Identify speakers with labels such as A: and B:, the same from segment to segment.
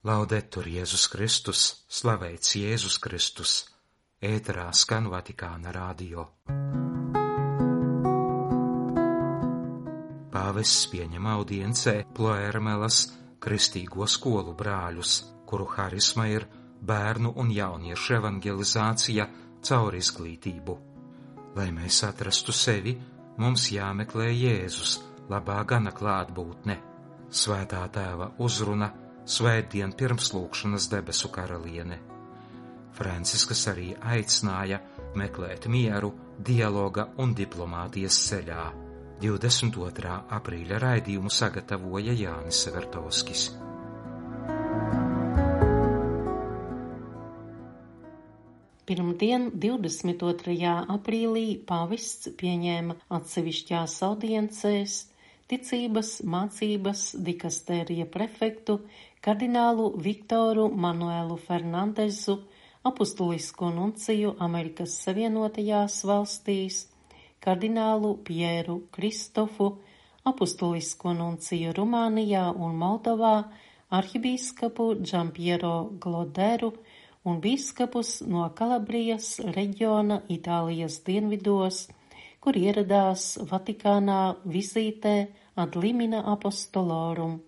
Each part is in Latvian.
A: Laudetur Jēzus Kristus, slavēts Jēzus Kristus, ēterā skan Vatikāna radio. Pāvests pieņem audiencē Ploermelas kristīgo skolu brāļus, kuru harisma ir bērnu un jauniešu evangelizācija caur izglītību. Lai mēs atrastu sevi, mums jāmeklē Jēzus, labā gana klātbūtne, Svētā Tēva uzruna, Svētdien pirmslūgšanas debesu karaliene. Francisks arī aicināja meklēt mieru, dialoga un diplomātijas ceļā. 22. aprīļa raidījumu sagatavoja Jānis Vertovskis.
B: Pirmdien, 22. aprīlī, pāvests pieņēma atsevišķās audiencēs ticības mācības dikastērija prefektu kardinālu Viktoru Manuelu Fernandezu, apustulisko nunciju Amerikas Savienotajās valstīs, kardinālu Pieru Kristofu, apustulisko nunciju Rumānijā un Moldovā, arhibīskapu Giampiero Gloderu un bīskapus no Kalabrijas reģiona Itālijas dienvidos, kur ieradās Vatikānā vizītē ad limina apostolorum.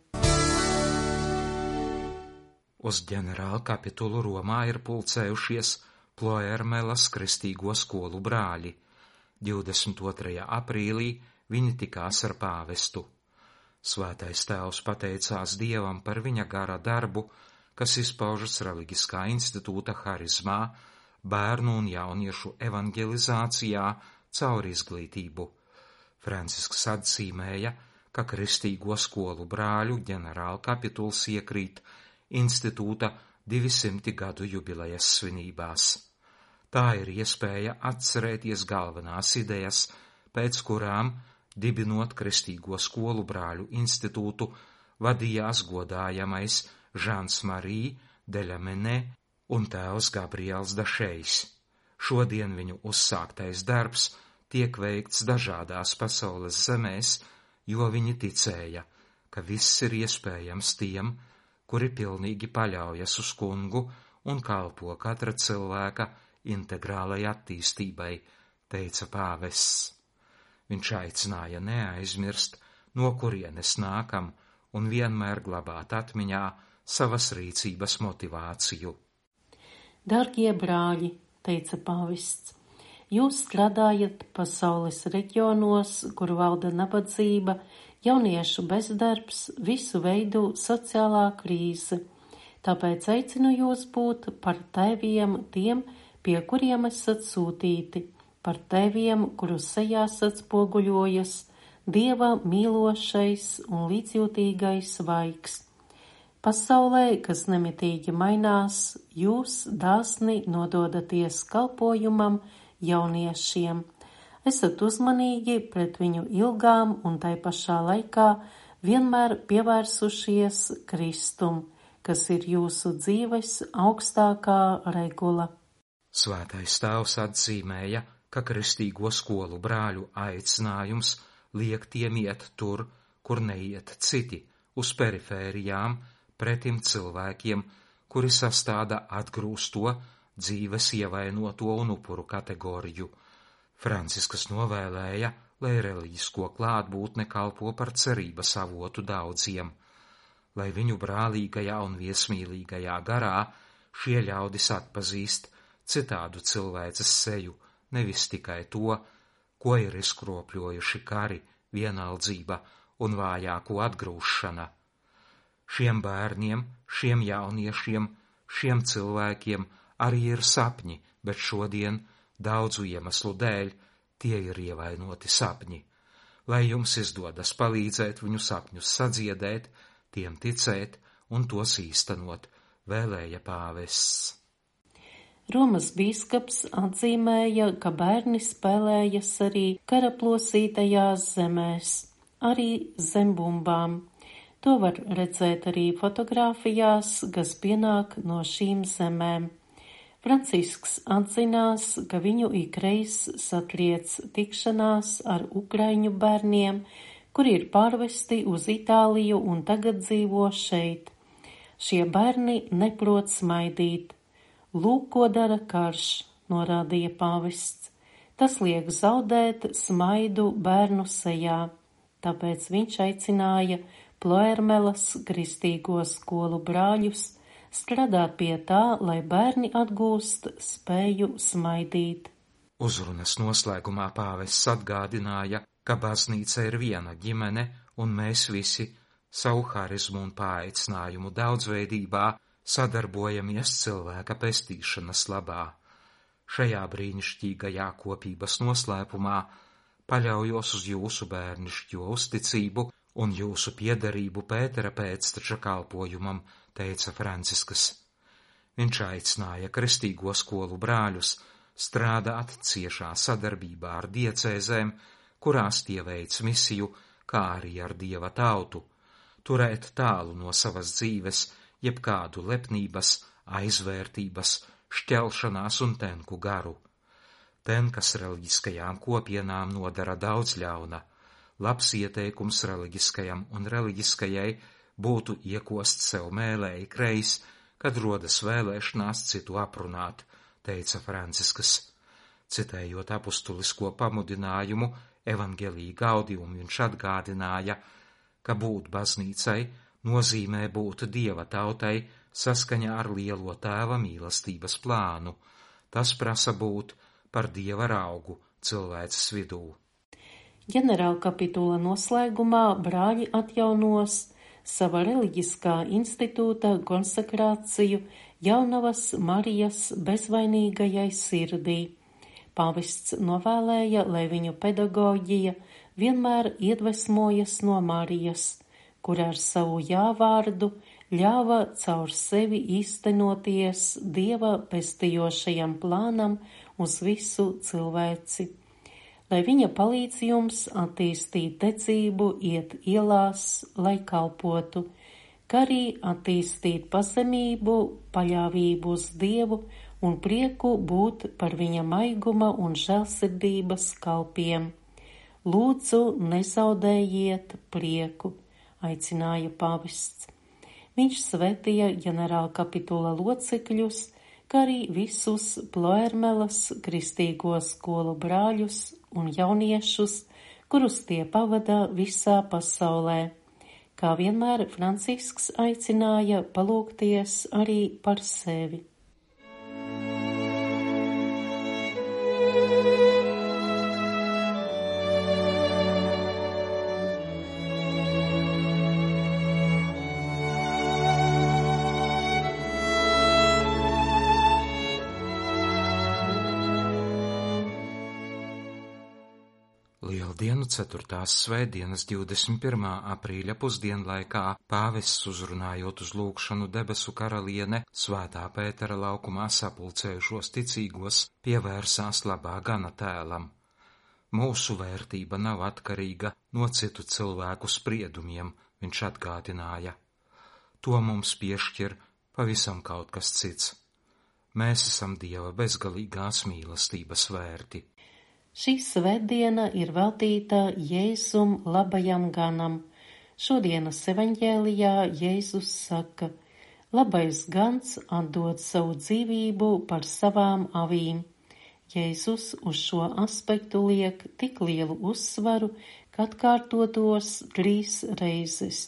A: Uz ģenerāla kapitulu Romā ir pulcējušies Ploermelas kristīgo skolu brāļi. 22. aprīlī viņi tikās ar pāvestu. Svētais Tēvs pateicās Dievam par viņa gara darbu, kas izpaužas reliģiskā institūta harizmā, bērnu un jauniešu evangelizācijā caur izglītību. Francisks atzīmēja, ka kristīgo skolu brāļu ģenerāla kapituls iekrīt institūta 200 gadu jubilejas svinībās. Tā ir iespēja atcerēties galvenās idejas, pēc kurām, dibinot kristīgo skolu brāļu institūtu, vadījās godājamais Žans Marī Deļamenē un tēvs Gabriels Dašejs. Šodien viņu uzsāktais darbs tiek veikts dažādās pasaules zemēs, jo viņi ticēja, ka viss ir iespējams tiem, kuri pilnīgi paļaujas uz kungu un kalpo katra cilvēka integrālai attīstībai, teica pāvests. Viņš aicināja neaizmirst, no kurienes nākam, un vienmēr glabāt atmiņā savas rīcības motivāciju.
B: Dargie brāļi, teica pāvests, jūs strādājat pasaules reģionos, kur valda nabadzība, jauniešu bezdarbs, visu veidu sociālā krīze. Tāpēc aicinu jūs būt par tēviem tiem, pie kuriem esat sūtīti, par tēviem, kuru sejās atspoguļojas Dieva mīlošais un līdzjūtīgais vaigs. Pasaulē, kas nemitīgi mainās, jūs dāsni nododaties kalpojumam jauniešiem. Esat uzmanīgi pret viņu ilgām un tai pašā laikā vienmēr pievērsušies Kristum, kas ir jūsu dzīves augstākā regula.
A: Svētais Tēvs atzīmēja, ka kristīgo skolu brāļu aicinājums liek tiem iet tur, kur neiet citi, uz perifērijām, pretim cilvēkiem, kuri sastāda atgrūsto, dzīves ievainoto un upuru kategoriju. Francisks novēlēja, lai reliģisko klātbūtne kalpo par cerības avotu daudziem, lai viņu brālīgajā un viesmīlīgajā garā šie ļaudis atpazīst citādu cilvēces seju, nevis tikai to, ko ir izkropļojuši kari, vienaldzība un vājāko atgrūšana. Šiem bērniem, šiem jauniešiem, šiem cilvēkiem arī ir sapņi, bet šodien daudzu iemeslu dēļ tie ir ievainoti sapņi. Lai jums izdodas palīdzēt viņu sapņus sadziedēt, tiem ticēt un tos īstenot, vēlēja pāvests.
B: Romas bīskaps atzīmēja, ka bērni spēlējas arī karaplosītajās zemēs, arī zem bumbām. To var redzēt arī fotogrāfijās, kas pienāk no šīm zemēm. Francisks atzinās, ka viņu ikreiz satriec tikšanās ar ukraiņu bērniem, kuri ir pārvesti uz Itāliju un tagad dzīvo šeit. Šie bērni neprot smaidīt. Lūk, ko dara karš, norādīja pāvests. Tas liek zaudēt smaidu bērnu sejā. Tāpēc viņš aicināja Ploermelas kristīgo skolu brāļus strādāt pie tā, lai bērni atgūst spēju smaidīt.
A: Uzrunas noslēgumā pāvests atgādināja, ka baznīca ir viena ģimene un mēs visi savu harizmu un paaicinājumu daudzveidībā sadarbojamies cilvēka pestīšanas labā. Šajā brīnišķīgajā kopības noslēpumā paļaujos uz jūsu bērnišķo uzticību un jūsu piederību Pētera pēcteča kalpojumam, teica Franciskas. Viņš aicināja kristīgo skolu brāļus strādāt ciešā sadarbībā ar diecēzēm, kurās tie veic misiju, kā arī ar Dieva tautu, turēt tālu no savas dzīves jebkādu lepnības, aizvērtības, šķelšanās un tenku garu. Tenkas reliģiskajām kopienām nodara daudz ļauna. Labs ieteikums reliģiskajam un reliģiskajai būtu iekost sev mēlē ikreiz, kad rodas vēlēšanās citu aprunāt, teica Franciskas. Citējot apustulisko pamudinājumu Evangelii Gaudium, viņš atgādināja, ka būt baznīcai nozīmē būt Dieva tautai saskaņā ar lielo Tēva mīlestības plānu. Tas prasa būt par Dieva raugu cilvēces vidū.
B: Ģenerālkapitula noslēgumā brāļi atjaunos sava reliģiskā institūta konsekrāciju Jaunavas Marijas bezvainīgajai sirdī. Pāvests novēlēja, lai viņu pedagoģija vienmēr iedvesmojas no Marijas, kur ar savu jāvārdu ļāva caur sevi īstenoties Dieva pestījošajam plānam uz visu cilvēci. Lai viņa palīdz jums attīstīt ticību, iet ielās, lai kalpotu, kā arī attīstīt pazemību, paļāvību uz Dievu un prieku būt par viņa maiguma un žēlsirdības kalpiem. Lūdzu, nezaudējiet prieku, aicināja pāvests. Viņš svētīja ģenerālkapitula locekļus, kā arī visus Ploermelas kristīgo skolu brāļus un jauniešus, kurus tie pavada visā pasaulē. Kā vienmēr Francisks aicināja palūgties arī par sevi.
A: Lieldienu 4. svētdienas 21. aprīļa pusdienlaikā pāvests uzrunājot uz lūgšanu debesu karaliene Svētā Pētera laukumā sapulcējušos ticīgos pievērsās labā gana tēlam. Mūsu vērtība nav atkarīga no citu cilvēku spriedumiem, viņš atgādināja. To mums piešķir pavisam kaut kas cits. Mēs esam Dieva bezgalīgās mīlestības vērti.
B: Šī svētdiena ir veltīta Jēzum labajam ganam. Šodienas evaņģēlijā Jēzus saka: labais gans atdod savu dzīvību par savām avīm. Jēzus uz šo aspektu liek tik lielu uzsvaru, ka atkārtotos 3 reizes.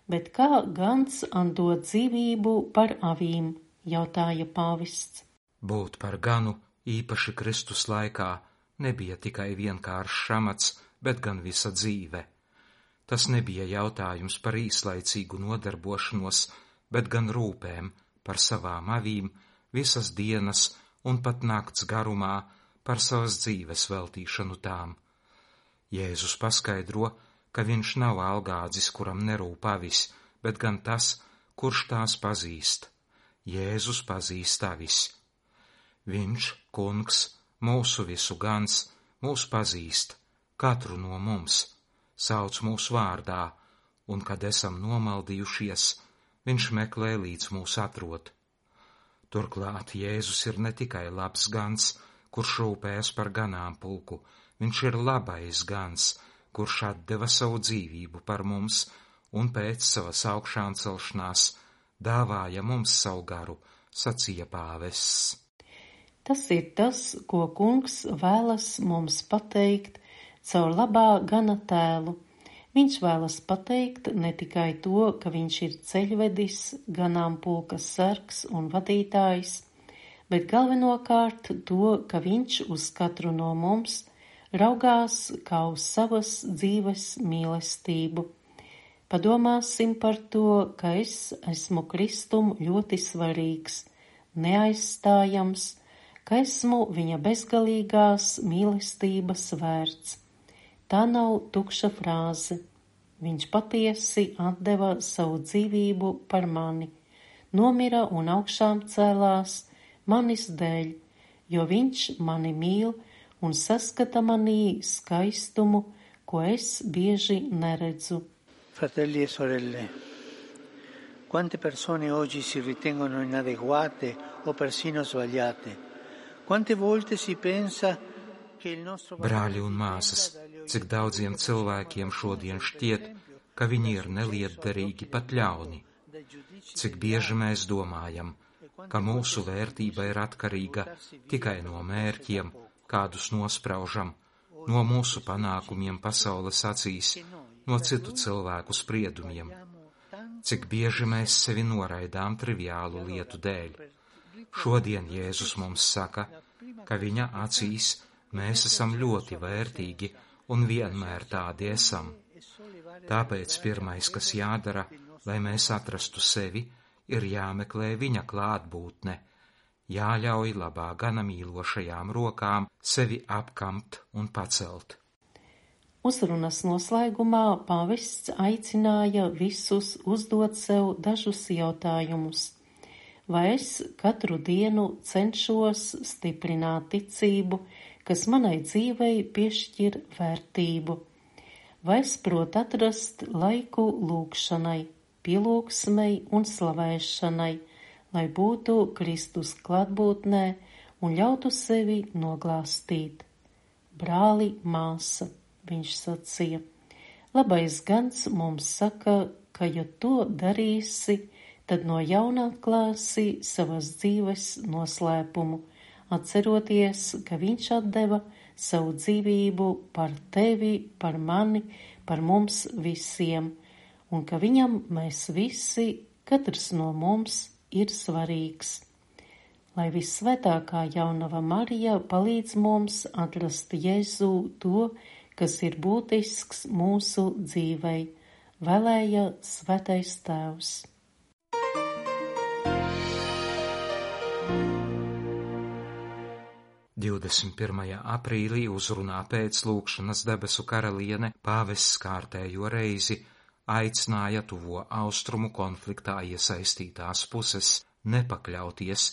B: Bet kā gans atdod dzīvību par avīm, jautāja pāvests.
A: Būt par ganu, īpaši Kristus laikā, nebija tikai vienkāršs amats, bet gan visa dzīve. Tas nebija jautājums par īslaicīgu nodarbošanos, bet gan rūpēm par savām avīm visas dienas un pat nakts garumā par savas dzīves veltīšanu tām. Jēzus paskaidro, ka viņš nav algādzis, kuram nerūp avis, bet gan tas, kurš tās pazīst. Jēzus pazīst avis. Viņš, kungs, mūsu visu gans, mūs pazīst, katru no mums, sauc mūs vārdā, un, kad esam nomaldījušies, viņš meklē līdz mūs atrod. Turklāt Jēzus ir ne tikai labs gans, kurš rūpējas par ganāmpulku, viņš ir labais gans, kurš atdeva savu dzīvību par mums un pēc savas augšām celšanās dāvāja mums savu garu, sacīja pāvests.
B: Tas ir tas, ko Kungs vēlas mums pateikt caur labā gana tēlu. Viņš vēlas pateikt ne tikai to, ka viņš ir ceļvedis, ganāmpulka sargs un vadītājs, bet galvenokārt to, ka viņš uz katru no mums raugās kā uz savas dzīves mīlestību. Padomāsim par to, ka es esmu Kristum ļoti svarīgs, neaizstājams, ka esmu viņa bezgalīgās mīlestības vērts. Tā nav tukša frāze. Viņš patiesi atdeva savu dzīvību par mani, nomira un augšām cēlās manis dēļ, jo viņš mani mīl un saskata manī skaistumu, ko es bieži neredzu.
C: Fratelli e sorelle, quante persone oggi si ritengono inadeguate o persino sbagliate? Quante volte si pensa che il nostro
A: Brāļi un māsas, cik daudziem cilvēkiem šodien šķiet, ka viņi ir nelietderīgi pat ļauni. Cik bieži mēs domājam, ka mūsu vērtība ir atkarīga tikai no mērķiem, kādus nospraužam, no mūsu panākumiem pasaules acīs, no citu cilvēku spriedumiem. Cik bieži mēs sevi noraidām triviālu lietu dēļ. Šodien Jēzus mums saka, ka viņa acīs mēs esam ļoti vērtīgi un vienmēr tādi esam. Tāpēc pirmais, kas jādara, lai mēs atrastu sevi, ir jāmeklē viņa klātbūtne, jāļauj labā gana mīlošajām rokām sevi apkamt un pacelt.
B: Uzrunas noslēgumā pāvests aicināja visus uzdot sev dažus jautājumus. Vai es katru dienu cenšos stiprināt ticību, kas manai dzīvei piešķir vērtību? Vai es protu atrast laiku lūgšanai, pielūgsmei un slavēšanai, lai būtu Kristus klātbūtnē un ļautu sevi noglāstīt? Brāli, māsa, viņš sacīja, labais gans mums saka, ka ja to darīsi, tad no jauna atklāsi savas dzīves noslēpumu, atceroties, ka viņš atdeva savu dzīvību par tevi, par mani, par mums visiem, un ka viņam mēs visi, katrs no mums, ir svarīgs. Lai vissvētākā jaunava Marija palīdz mums atrast Jēzu to, kas ir būtisks mūsu dzīvei, vēlēja Svētais Tēvs.
A: Aprīlī uzrunā pēc lūgšanas debesu karaliene pāvests kārtējo reizi aicināja tuvo austrumu konfliktā iesaistītās puses nepakļauties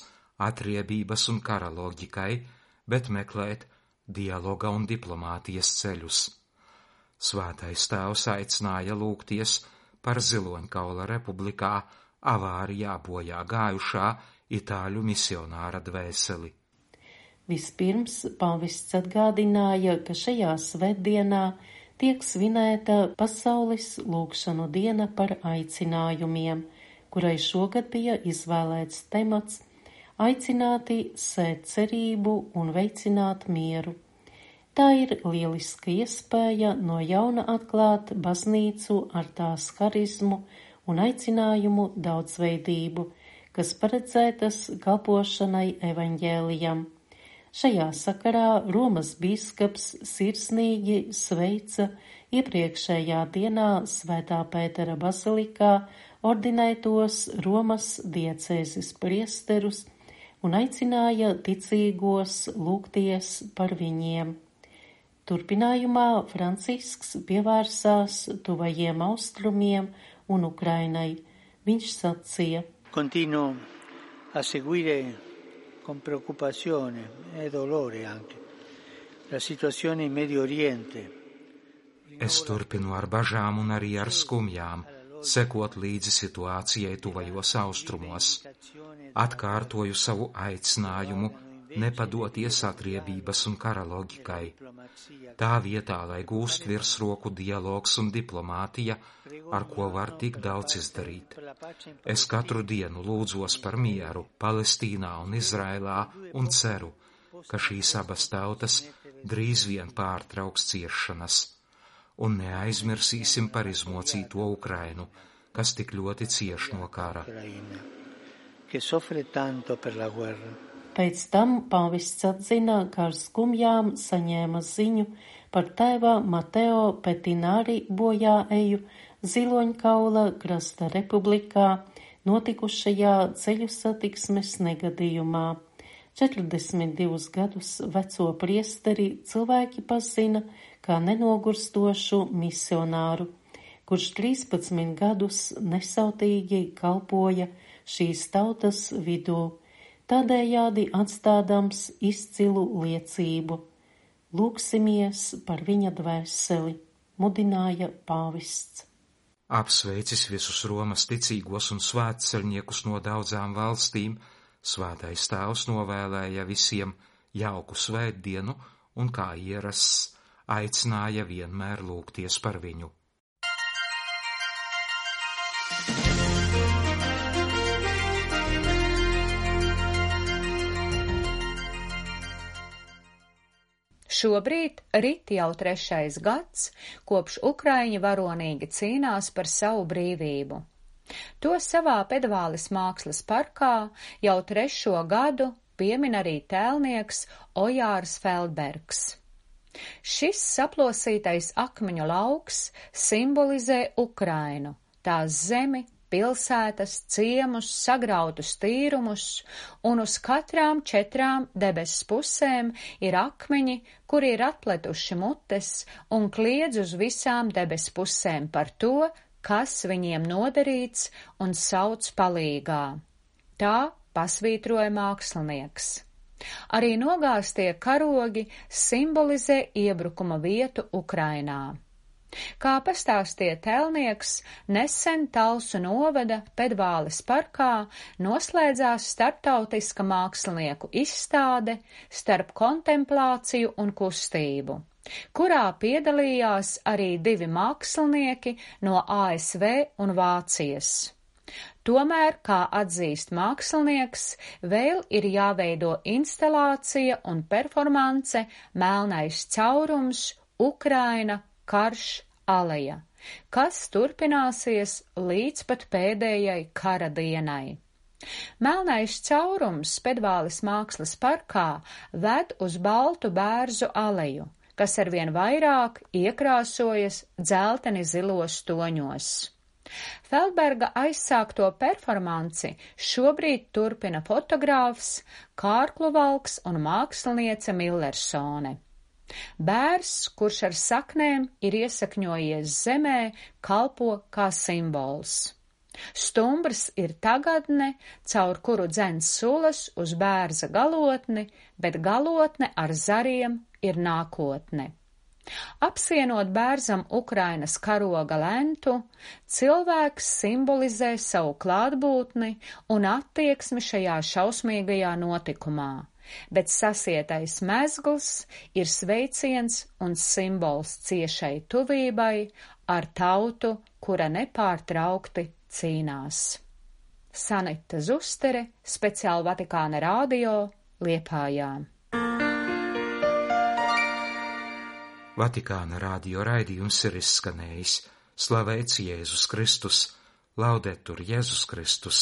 A: atriebības un kara loģikai, bet meklēt dialoga un diplomātijas ceļus. Svētais Tēvs aicināja lūgties par Ziloņkaula republikā avārijā bojā gājušā itāļu misionāra dvēseli.
B: Vispirms pāvests atgādināja, ka šajā svētdienā tiek svinēta pasaules lūgšanu diena par aicinājumiem, kurai šogad bija izvēlēts temats aicināti sēt cerību un veicināt mieru. Tā ir lieliska iespēja no jauna atklāt baznīcu ar tās harizmu un aicinājumu daudzveidību, kas paredzētas kalpošanai evaņģēlijam. Šajā sakarā Romas bīskaps sirsnīgi sveica iepriekšējā dienā Svētā Pētera bazilikā ordinētos Romas diecēzes priesterus un aicināja ticīgos lūgties par viņiem. Turpinājumā Francisks pievērsās tuvajiem austrumiem un Ukrainai. Viņš sacīja:
C: Continuo a seguire con preoccupazione e dolore anche la situazione in Medio Oriente.
A: Es turpinu ar bažām un arī ar skumjām sekot līdzi situācijai tuvajos austrumos. Atkārtoju savu aicinājumu nepadoties atriebības un kara loģikai. Tā vietā, lai gūst virsroku dialogs un diplomātija, ar ko var tik daudz izdarīt. Es katru dienu lūdzos par mieru Palestīnā un Izraēlā un ceru, ka šīs abas tautas drīz vien pārtrauks ciešanas. Un neaizmirsīsim par izmocīto Ukrainu, kas tik ļoti cieš no kara.
B: Pēc tam pāvests atzina, ka ar skumjām saņēma ziņu par tēva Mateo Petinari bojāeju Ziloņkaula krasta republikā notikušajā ceļu satiksmes negadījumā. 42 gadus veco priesteri cilvēki pazina kā nenogurstošu misionāru, kurš 13 gadus nesautīgi kalpoja šīs tautas vidū, tādējādi atstādams izcilu liecību. Lūksimies par viņa dvēseli, mudināja pāvests.
A: Apsveicis visus Romas ticīgos un svētceļniekus no daudzām valstīm, Svētais Tēvs novēlēja visiem jauku svētdienu un, kā ierasts, aicināja vienmēr lūgties par viņu.
D: Šobrīd rit jau 3. gads, kopš Ukraiņi varonīgi cīnās par savu brīvību. To savā Pedvāles mākslas parkā jau 3. gadu piemin arī tēlnieks Ojārs Feldbergs. Šis saplosītais akmeņu lauks simbolizē Ukrainu, tās zemi, pilsētas, ciemus, sagrautus tīrumus, un uz katrām 4 debesu pusēm ir akmeņi, kuri ir atpletuši mutes un kliedz uz visām debesu pusēm par to, kas viņiem nodarīts un sauc palīgā. Tā pasvītroja mākslinieks. Arī nogāztie karogi simbolizē iebrukuma vietu Ukrainā. Kā pastāstīja tēlnieks, nesen Talsu novada Pedvāles parkā noslēdzās starptautiska mākslinieku izstāde starp kontemplāciju un kustību, kurā piedalījās arī 2 mākslinieki no ASV un Vācijas. Tomēr, kā atzīst mākslinieks, vēl ir jāveido instalācija un performance Melnais caurums, Ukraina, karš, aleja, kas turpināsies līdz pat pēdējai kara dienai. Melnais caurums Pedvāles mākslas parkā ved uz baltu bērzu aleju, kas arvien vairāk iekrāsojas dzelteni zilos toņos. Feldberga aizsākto performanci šobrīd turpina fotogrāfs, kārkluvalks un māksliniece Millersone. Bērs, kurš ar saknēm ir iesakņojies zemē, kalpo kā simbols. Stumbrs ir tagadne, caur kuru dzen sulas uz bērza galotni, bet galotne ar zariem ir nākotne. Apsienot bērzam Ukrainas karoga lentu, cilvēks simbolizē savu klātbūtni un attieksmi šajā šausmīgajā notikumā, bet sasietais mezgls ir sveiciens un simbols ciešai tuvībai ar tautu, kura nepārtraukti cīnās. Sanita Zustere, speciāli Vatikāna radio, Liepājā.
A: Vatikāna radio raidījums ir izskanējis. Slavēts Jēzus Kristus, laudetur Jēzus Kristus.